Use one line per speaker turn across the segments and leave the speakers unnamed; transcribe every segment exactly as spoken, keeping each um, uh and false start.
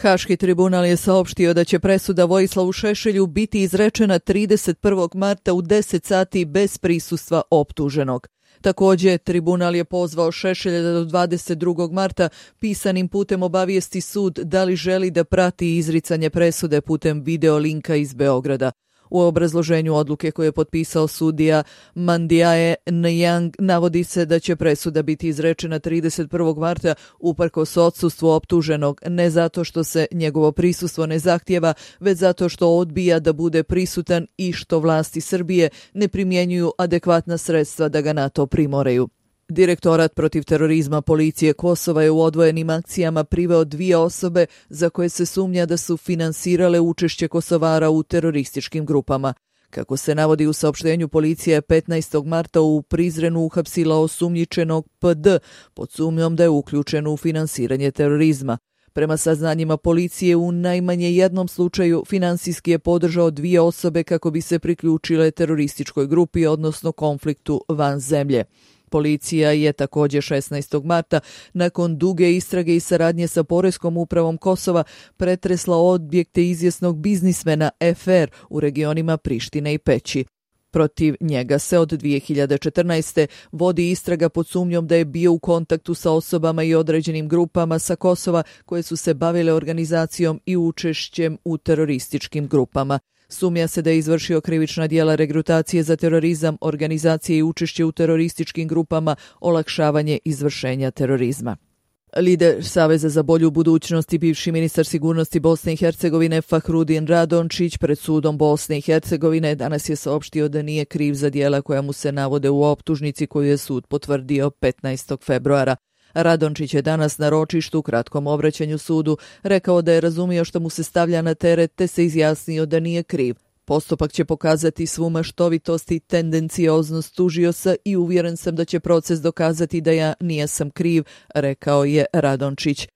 Haški tribunal je saopštio da će presuda Vojislavu Šešelju biti izrečena trideset prvog marta u deset sati bez prisustva optuženog. Također, tribunal je pozvao Šešelja da do dvadeset drugog marta pisanim putem obavijesti sud da li želi da prati izricanje presude putem video linka iz Beograda. U obrazloženju odluke koje je potpisao sudija Mandiae Nyang navodi se da će presuda biti izrečena trideset prvog marta uprkos odsustvu optuženog, ne zato što se njegovo prisustvo ne zahtjeva, već zato što odbija da bude prisutan i što vlasti Srbije ne primjenjuju adekvatna sredstva da ga na to primoreju. Direktorat protiv terorizma policije Kosova je u odvojenim akcijama priveo dvije osobe za koje se sumnja da su finansirale učešće Kosovara u terorističkim grupama. Kako se navodi u saopštenju, policija je petnaestog marta u Prizrenu uhapsila osumnjičenog P D pod sumnjom da je uključen u finansiranje terorizma. Prema saznanjima policije, u najmanje jednom slučaju finansijski je podržao dvije osobe kako bi se priključile terorističkoj grupi, odnosno konfliktu van zemlje. Policija je također šesnaestog marta, nakon duge istrage i saradnje sa Poreskom upravom Kosova, pretresla objekte izvjesnog biznismena F R u regionima Prištine i Peći. Protiv njega se od dvije hiljade četrnaeste. vodi istraga pod sumnjom da je bio u kontaktu sa osobama i određenim grupama sa Kosova koje su se bavile organizacijom i učešćem u terorističkim grupama. Sumnja se da je izvršio krivična djela regrutacije za terorizam, organizacije i učešće u terorističkim grupama, olakšavanje izvršenja terorizma. Lider Saveza za bolju budućnost i bivši ministar sigurnosti Bosne i Hercegovine Fahrudin Radončić pred sudom Bosne i Hercegovine danas je saopštio da nije kriv za djela koja mu se navode u optužnici koju je sud potvrdio petnaestog februara. Radončić je danas na ročištu u kratkom obraćanju sudu rekao da je razumio što mu se stavlja na teret te se izjasnio da nije kriv. Postupak će pokazati svu maštovitost i tendencioznost tužioca i uvjeren sam da će proces dokazati da ja nijesam kriv, rekao je Radončić.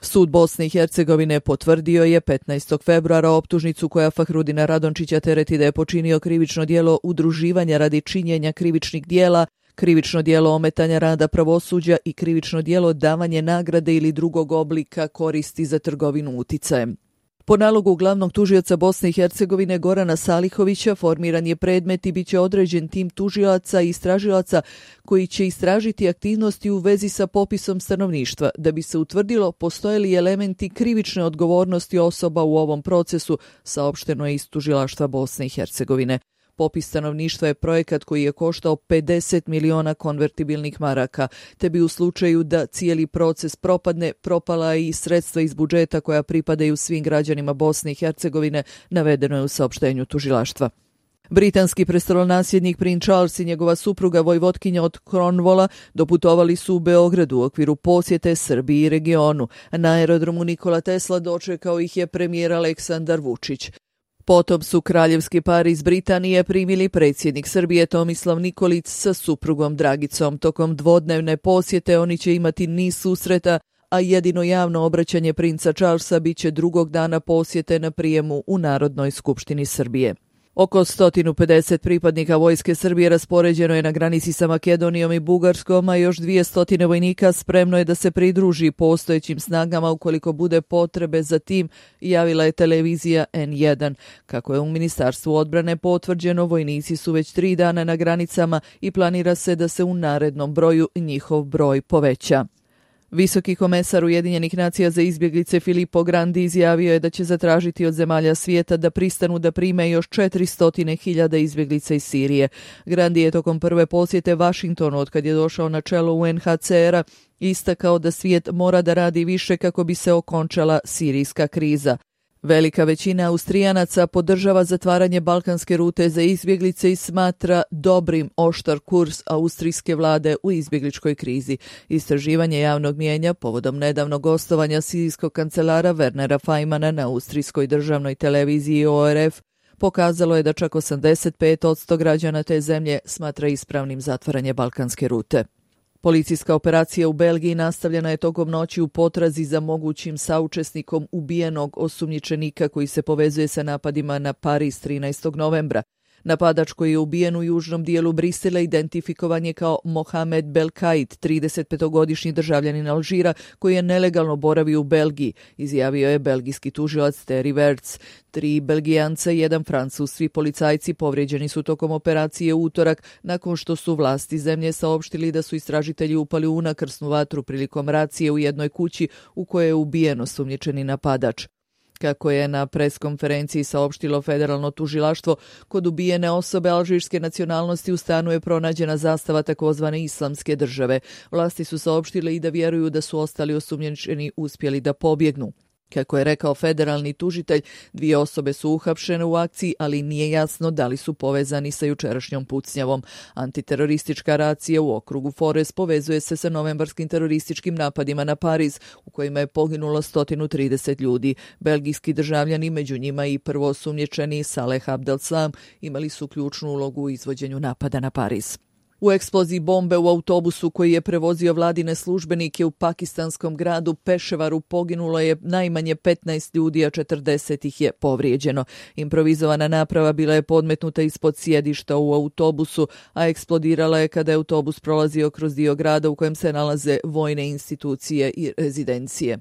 Sud Bosne i Hercegovine potvrdio je petnaestog februara optužnicu koja Fahrudina Radončića tereti da je počinio krivično djelo udruživanja radi činjenja krivičnih djela, krivično djelo ometanja rada pravosuđa i krivično djelo davanje nagrade ili drugog oblika koristi za trgovinu uticajem. Po nalogu glavnog tužioca Bosne i Hercegovine Gorana Salihovića formiran je predmet i bit će određen tim tužilaca i istražilaca koji će istražiti aktivnosti u vezi sa popisom stanovništva da bi se utvrdilo postoje li elementi krivične odgovornosti osoba u ovom procesu, saopšteno je iz tužilaštva Bosne i Hercegovine. Popis stanovništva je projekat koji je koštao pedeset miliona konvertibilnih maraka, te bi u slučaju da cijeli proces propadne, propala i sredstva iz budžeta koja pripadaju svim građanima Bosne i Hercegovine, navedeno je u saopštenju tužilaštva. Britanski prestolonasljednik princ Charles i njegova supruga vojvotkinja od Cornwalla doputovali su u Beogradu u okviru posjete Srbiji i regionu. Na aerodromu Nikola Tesla dočekao ih je premijer Aleksandar Vučić. Potom su kraljevski par iz Britanije primili predsjednik Srbije Tomislav Nikolić sa suprugom Dragicom. Tokom dvodnevne posjete oni će imati niz susreta, a jedino javno obraćanje princa Charlesa bit će drugog dana posjete na prijemu u Narodnoj skupštini Srbije. Oko sto pedeset pripadnika vojske Srbije raspoređeno je na granici sa Makedonijom i Bugarskom, a još dvjesto vojnika spremno je da se pridruži postojećim snagama ukoliko bude potrebe za tim, javila je televizija N jedan. Kako je u Ministarstvu odbrane potvrđeno, vojnici su već tri dana na granicama i planira se da se u narednom broju njihov broj poveća. Visoki komesar Ujedinjenih nacija za izbjeglice Filippo Grandi izjavio je da će zatražiti od zemalja svijeta da pristanu da prime još četiristo hiljada izbjeglica iz Sirije. Grandi je tokom prve posjete Vašingtonu od kad je došao na čelo U N H C R-a istakao da svijet mora da radi više kako bi se okončala sirijska kriza. Velika većina Austrijanaca podržava zatvaranje balkanske rute za izbjeglice i smatra dobrim oštar kurs austrijske vlade u izbjegličkoj krizi. Istraživanje javnog mijenja povodom nedavnog gostovanja sirijskog kancelara Wernera Fajmana na austrijskoj državnoj televiziji O R F pokazalo je da čak osamdeset pet posto građana te zemlje smatra ispravnim zatvaranje balkanske rute. Policijska operacija u Belgiji nastavljena je tokom noći u potrazi za mogućim saučesnikom ubijenog osumnjičenika koji se povezuje sa napadima na Pariz trinaestog novembra. Napadač koji je ubijen u južnom dijelu Brisela identifikovan je kao Mohamed Belkait, tridesetpetogodišnji državljanin Alžira koji je nelegalno boravio u Belgiji, izjavio je belgijski tužilac Thierry Verts. Tri Belgijanca i jedan Francuz, svi policajci povrijeđeni su tokom operacije u utorak nakon što su vlasti zemlje saopštili da su istražitelji upali u unakrsnu vatru prilikom racije u jednoj kući u kojoj je ubijen osumnjičeni napadač. Kako je na preskonferenciji saopštilo federalno tužilaštvo, kod ubijene osobe alžirske nacionalnosti u stanu je pronađena zastava takozvane islamske države. Vlasti su saopštile i da vjeruju da su ostali osumnjičeni uspjeli da pobjegnu. Kako je rekao federalni tužitelj, dvije osobe su uhapšene u akciji, ali nije jasno da li su povezani sa jučerašnjom pucnjavom. Antiteroristička racija u okrugu Forez povezuje se sa novembarskim terorističkim napadima na Pariz, u kojima je poginulo sto trideset ljudi. Belgijski državljani, među njima i prvoosumnjičeni Saleh Abdeslam, imali su ključnu ulogu u izvođenju napada na Pariz. U eksploziji bombe u autobusu koji je prevozio vladine službenike u pakistanskom gradu Peševaru poginulo je najmanje petnaest ljudi, a četrdeset ih je povrijeđeno. Improvizovana naprava bila je podmetnuta ispod sjedišta u autobusu, a eksplodirala je kada je autobus prolazio kroz dio grada u kojem se nalaze vojne institucije i rezidencije.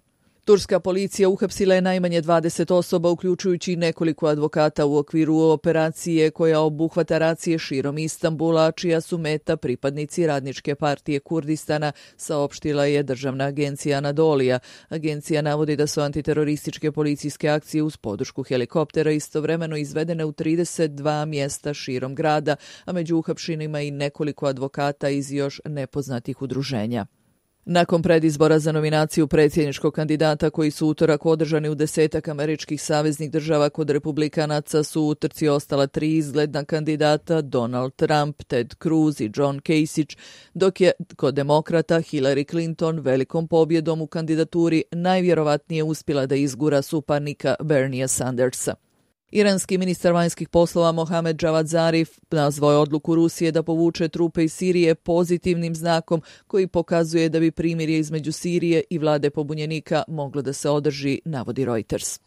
Turska policija uhapsila je najmanje dvadeset osoba, uključujući i nekoliko advokata u okviru operacije koja obuhvata racije širom Istanbula, čija su meta pripadnici Radničke partije Kurdistana, saopštila je državna agencija Anadolija. Agencija navodi da su antiterorističke policijske akcije uz podršku helikoptera istovremeno izvedene u trideset dva mjesta širom grada, a među uhapšenima i nekoliko advokata iz još nepoznatih udruženja. Nakon predizbora za nominaciju predsjedničkog kandidata koji su utorak održani u desetak američkih saveznih država, kod republikanaca su u utrci ostala tri izgledna kandidata, Donald Trump, Ted Cruz i John Kasich, dok je kod demokrata Hillary Clinton velikom pobjedom u kandidaturi najvjerovatnije uspjela da izgura suparnika Berniea Sandersa. Iranski ministar vanjskih poslova Mohamed Javad Zarif nazvao je odluku Rusije da povuče trupe iz Sirije pozitivnim znakom koji pokazuje da bi primirje između Sirije i vlade pobunjenika moglo da se održi, navodi Reuters.